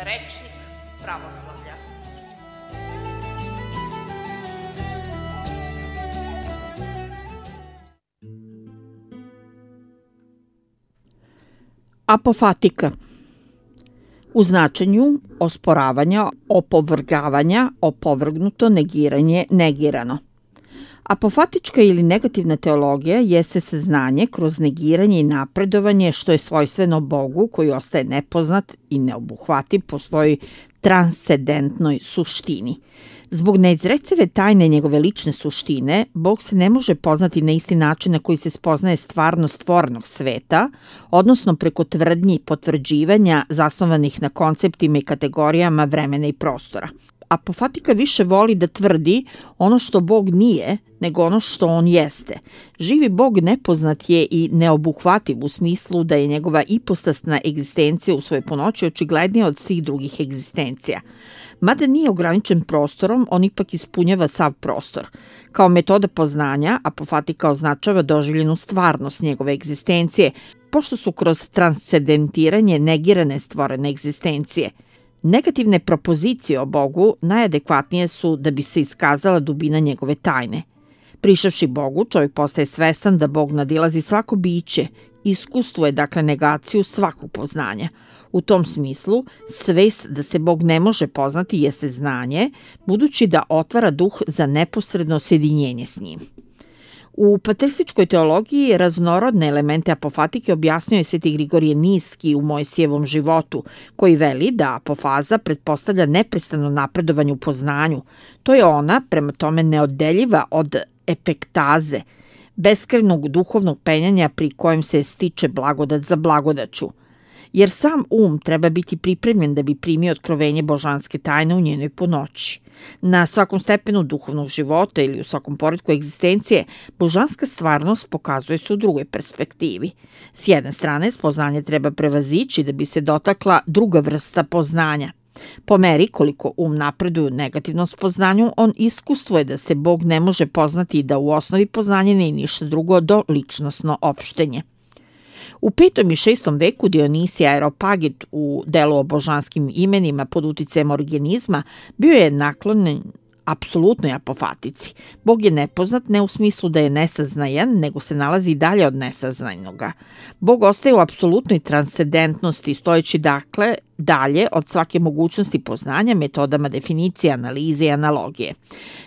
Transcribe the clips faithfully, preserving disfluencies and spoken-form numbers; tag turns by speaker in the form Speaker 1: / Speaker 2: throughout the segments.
Speaker 1: rečnik pravoslavlja.
Speaker 2: Apofatika u značenju osporavanja, opovrgavanja, opovrgnuto, negiranje, negirano. Apofatička ili negativna teologija jeste saznanje kroz negiranje i napredovanje što je svojstveno Bogu koji ostaje nepoznat i neobuhvativ po svojoj transcendentnoj suštini. Zbog neizrecive tajne njegove lične suštine, Bog se ne može poznati na isti način na koji se spoznaje stvarnost stvornog sveta, odnosno preko tvrdnji i potvrđivanja zasnovanih na konceptima i kategorijama vremena i prostora. Apofatika više voli da tvrdi ono što Bog nije, nego ono što on jeste. Živi Bog nepoznat je i neobuhvativ u smislu da je njegova ipostasna egzistencija u svojoj punoći očiglednija od svih drugih egzistencija. Mada nije ograničen prostorom, on ipak ispunjava sav prostor. Kao metoda poznanja, apofatika označava doživljenu stvarnost njegove egzistencije, pošto su kroz transcendentiranje negirane stvorene egzistencije. Negativne propozicije o Bogu najadekvatnije su da bi se iskazala dubina njegove tajne. Prišavši Bogu, čovjek postaje svestan da Bog nadilazi svako biće, iskustvuje dakle negaciju svakog poznanja. U tom smislu, svest da se Bog ne može poznati jeste znanje, budući da otvara duh za neposredno sjedinjenje s njim. U patrističkoj teologiji raznorodne elemente apofatike objasnio je sveti Grigorije Niski u Mojsijevom životu, koji veli da apofaza pretpostavlja neprestano napredovanje u poznanju. To je ona, prema tome, neoddeljiva od epektaze, beskrajnog duhovnog penjanja pri kojem se stiče blagodat za blagodaću. Jer sam um treba biti pripremljen da bi primio otkrovenje božanske tajne u njenoj punoći. Na svakom stepenu duhovnog života ili u svakom poretku egzistencije, božanska stvarnost pokazuje se u drugoj perspektivi. S jedne strane, spoznanje treba prevazići da bi se dotakla druga vrsta poznanja. Po meri koliko um napreduje u negativnom spoznanju, on iskustvuje da se Bog ne može poznati i da u osnovi poznanje nije ništa drugo do ličnosno opštenje. U petom i šestom veku Dionisij Areopagit u delu o božanskim imenima pod uticajem origenizma bio je naklonjen apsolutnoj apofatici. Bog je nepoznat ne u smislu da je nesaznajan, nego se nalazi dalje od nesaznajnoga. Bog ostaje u apsolutnoj transcendentnosti, stojeći dakle dalje od svake mogućnosti poznanja metodama definicije, analize i analogije.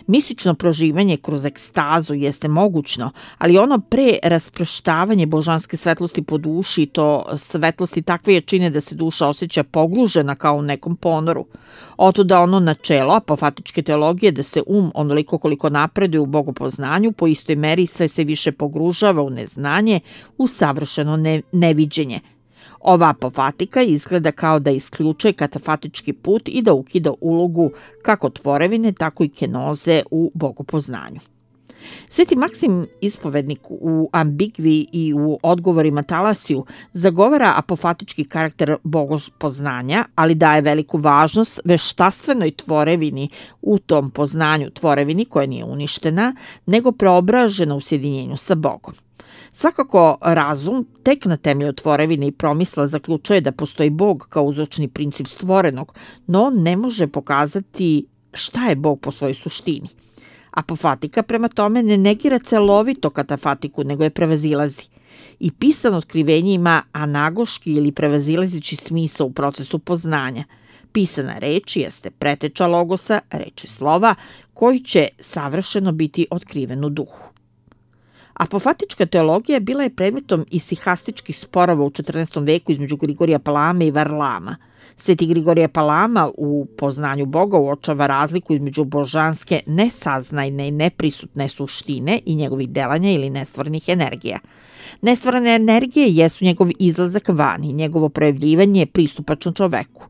Speaker 2: Mistično proživanje kroz ekstazu jeste mogućno, ali ono pre rasproštavanje božanske svetlosti po duši, to svetlosti takve jačine da se duša osjeća pogružena kao u nekom ponoru. Otuda ono načelo apofatičke teologije da se um onoliko koliko napreduje u bogopoznanju po istoj meri sve se više pogružava u neznanje, u savršeno ne, neviđenje. Ova apofatika izgleda kao da isključuje katafatički put i da ukida ulogu kako tvorevine, tako i kenoze u bogopoznanju. Sveti Maksim Ispovednik u Ambigvi i u odgovorima Talasiju zagovara apofatički karakter bogopoznanja, ali daje veliku važnost veštaštvenoj tvorevini u tom poznanju, tvorevini koja nije uništena, nego preobražena u sjedinjenju sa Bogom. Svakako, razum tek na temelju tvorevine i promisla zaključuje da postoji Bog kao uzročni princip stvorenog, no on ne može pokazati šta je Bog po svojoj suštini. Apofatika prema tome ne negira celovito katafatiku, nego je prevazilazi. I pisano otkrivenje ima anagoški ili prevazilazići smisao u procesu poznanja. Pisana reč jeste preteča logosa, reči slova, koji će savršeno biti otkriven u duhu. Apofatička teologija bila je predmetom isihastičkih sporova u četrnaestom veku između Grigorija Palame i Varlama. Sveti Grigorije Palama u poznanju Boga uočava razliku između božanske nesaznajne i neprisutne suštine i njegovih delanja ili nestvorenih energija. Nestvorene energije jesu njegov izlazak van i njegovo projavljivanje je pristupačno čoveku.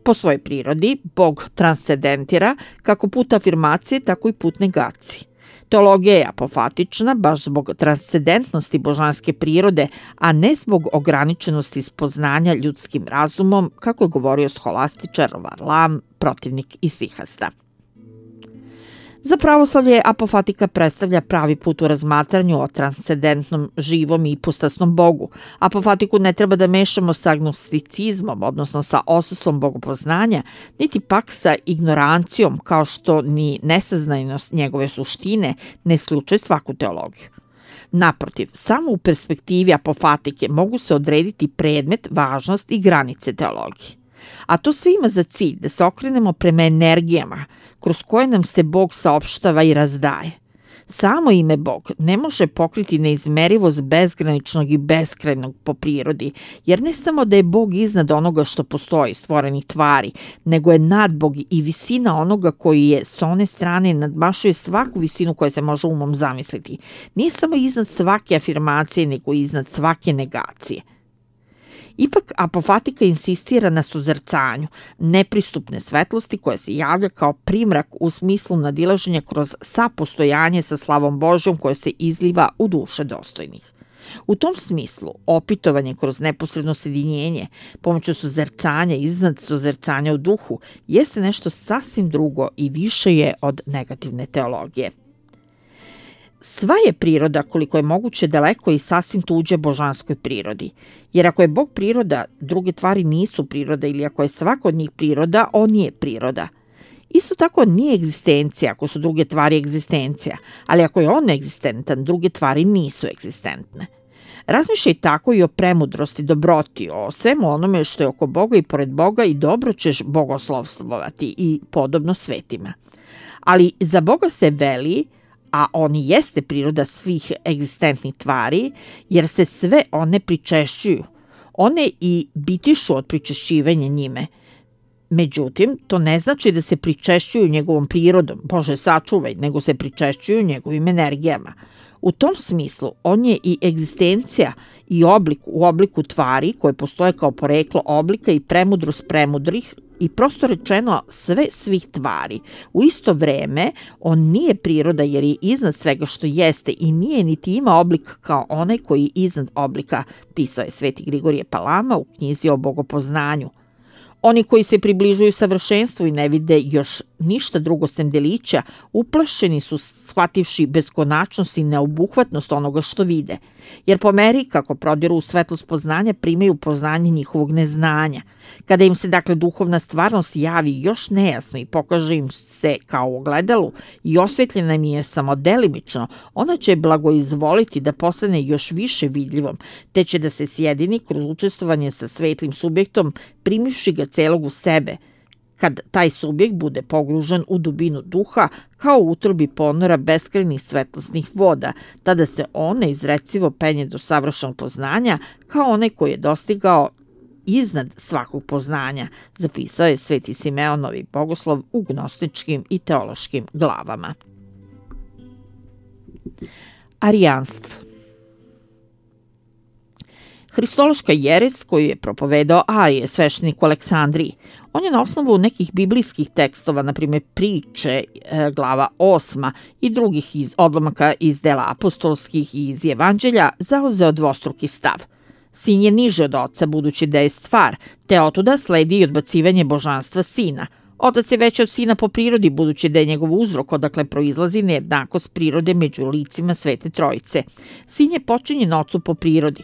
Speaker 2: Po svojoj prirodi, Bog transcendentira kako put afirmacije, tako i put negacije. Teologija je apofatična baš zbog transcendentnosti božanske prirode, a ne zbog ograničenosti spoznanja ljudskim razumom, kako je govorio scholastičar Varlam, protivnik isihasta. Za pravoslavlje apofatika predstavlja pravi put u razmatranju o transcendentnom, živom i ipostasnom Bogu. Apofatiku ne treba da mešamo sa agnosticizmom, odnosno sa odsustvom bogopoznanja, niti pak sa ignorancijom, kao što ni nesaznajnost njegove suštine ne isključuje svaku teologiju. Naprotiv, samo u perspektivi apofatike mogu se odrediti predmet, važnost i granice teologije. A to sve ima za cilj da se okrenemo prema energijama kroz koje nam se Bog saopštava i razdaje. Samo ime Bog ne može pokriti neizmerivost bezgraničnog i beskrajnog po prirodi, jer ne samo da je Bog iznad onoga što postoji, stvorenih tvari, nego je nadbog i visina onoga koji je s one strane nadmašuje svaku visinu koja se može umom zamisliti. Nije samo iznad svake afirmacije, nego iznad svake negacije. Ipak apofatika insistira na suzercanju, nepristupne svetlosti koja se javlja kao primrak u smislu nadilaženja kroz sapostojanje sa slavom Božjom koja se izliva u duše dostojnih. U tom smislu, opitovanje kroz neposredno sjedinjenje, pomoću suzercanja iznad suzercanja u duhu, jeste nešto sasvim drugo i više je od negativne teologije. Sva je priroda koliko je moguće daleko i sasvim tuđe božanskoj prirodi, jer ako je Bog priroda, druge tvari nisu priroda ili ako je svaka od njih priroda, on je priroda. Isto tako nije egzistencija ako su druge tvari egzistencija, ali ako je on neegzistentan, druge tvari nisu egzistentne. Razmišljaj tako i o premudrosti, dobroti, o svemu onome što je oko Boga i pored Boga i dobro ćeš bogoslovstvovati i podobno svetima. Ali za Boga se veli, a on i jeste priroda svih egzistentnih tvari, jer se sve one pričešćuju. One i bitišu od pričešćivanja njime. Međutim, to ne znači da se pričešćuju njegovom prirodom, Bože sačuvaj, nego se pričešćuju njegovim energijama. U tom smislu, on je i egzistencija i oblik u obliku tvari koje postoje kao poreklo oblika i premudrost premudrih, i prosto rečeno sve svih tvari. U isto vreme, on nije priroda jer je iznad svega što jeste i nije niti ima oblik kao onaj koji je iznad oblika, pisao je Sveti Grigorije Palama u knjizi o bogopoznanju. Oni koji se približuju savršenstvu i ne vide još ništa drugo sem delića, uplašeni su shvativši beskonačnost i neobuhvatnost onoga što vide, jer po meri kako prodiru u svetlost poznanja primaju poznanje njihovog neznanja. Kada im se dakle duhovna stvarnost javi još nejasno i pokaže im se kao u ogledalu i osvetljena im je samo delimično, ona će blagoizvoliti da postane još više vidljivom, te će da se sjedini kroz učestvovanje sa svetlim subjektom, primivši ga celog u sebe, kad taj subjekt bude pogružen u dubinu duha kao u utrobi ponora beskrajnih svetlosnih voda, tada se on neizrecivo penje do savršenog poznanja kao onaj koji je dostigao iznad svakog poznanja, zapisao je Sveti Simeon Novi Bogoslov u gnostičkim i teološkim glavama. Arijanstvo. Hristološka jeres koju je propovedao Arije, sveštenik u Aleksandriji. On je na osnovu nekih biblijskih tekstova, na primjer priče, glava osma i drugih iz odlomaka iz dela apostolskih i iz evanđelja, zauzeo dvostruki stav. Sin je niže od oca, budući da je stvar, te otuda sledi i odbacivanje božanstva sina. Otac je veći od sina po prirodi, budući da je njegov uzrok odakle proizlazi nejednakost prirode među licima Svete Trojice. Sin je počinjen ocu po prirodi.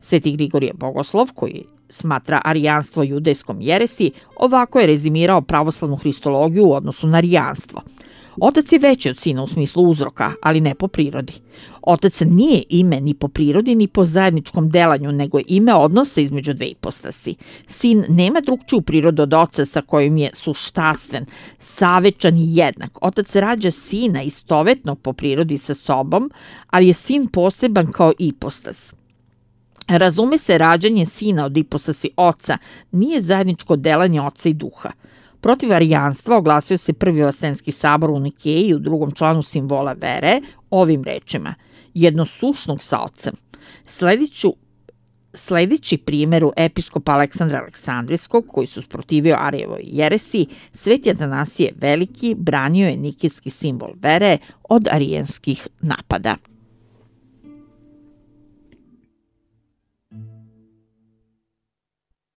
Speaker 2: Sveti Grigorije Bogoslov, koji smatra arijanstvo judejskom jeresi, ovako je rezimirao pravoslavnu hristologiju u odnosu na arijanstvo. Otac je veći od sina u smislu uzroka, ali ne po prirodi. Otac nije ime ni po prirodi, ni po zajedničkom delanju, nego je ime odnosa između dve ipostasi. Sin nema drugčiju prirodu od oca sa kojim je suštastven, savečan i jednak. Otac rađa sina istovetnog po prirodi sa sobom, ali je sin poseban kao ipostas. Razume se, rađanje sina od ipostasi oca nije zajedničko delanje oca i duha. Protiv arijanstva oglasio se Prvi Vaseljenski sabor u Nikeji u drugom članu simbola vere ovim rečima: jednosušnog sa ocem. Slediću Sledeći primjeru episkopa Aleksandra Aleksandrijskog, koji su sprotivio Arijevoj jeresi, Sveti Atanasije Veliki branio je nikejski simbol vere od arijanskih napada.